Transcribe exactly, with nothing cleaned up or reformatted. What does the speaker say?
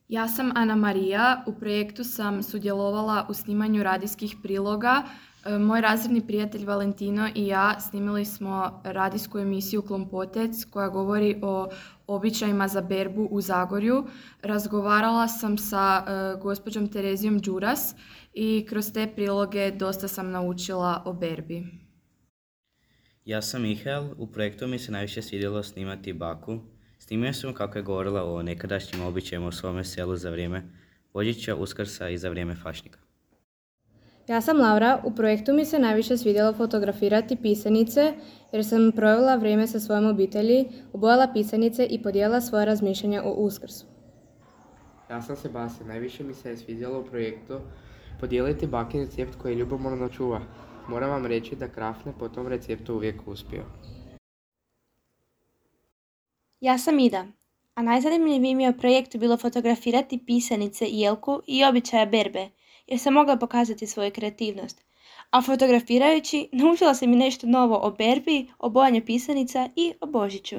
Ja sam Ana Marija, u projektu sam sudjelovala u snimanju radijskih priloga. E, Moj razredni prijatelj Valentino i ja snimili smo radijsku emisiju Klompotec koja govori o običajima za berbu u Zagorju. Razgovarala sam sa e, gospođom Terezijom Đuras i kroz te priloge dosta sam naučila o berbi. Ja sam Mihael, u projektu mi se najviše svidjelo snimati baku. Snimio sam kako je govorila o nekadašnjim običajima u svome selu za vrijeme Božića, Uskrsa i za vrijeme Fašnika. Ja sam Laura, u projektu mi se najviše svidjelo fotografirati pisanice jer sam provela vrijeme sa svojom obitelji, obojala pisanice i podijelila svoje razmišljanja o Uskrsu. Ja sam Sebastian, najviše mi se je svidjelo u projektu podijeliti bakin recept koji ljubomorno čuva. Moram vam reći da Krafne po tom receptu uvijek uspio. Ja sam Ida, a najzanimljiviji mi je u projektu bilo fotografirati pisanice Jelku i običaja berbe, jer sam mogla pokazati svoju kreativnost. A fotografirajući naučila sam i nešto novo o berbi, o bojanju pisanica i o Božiću.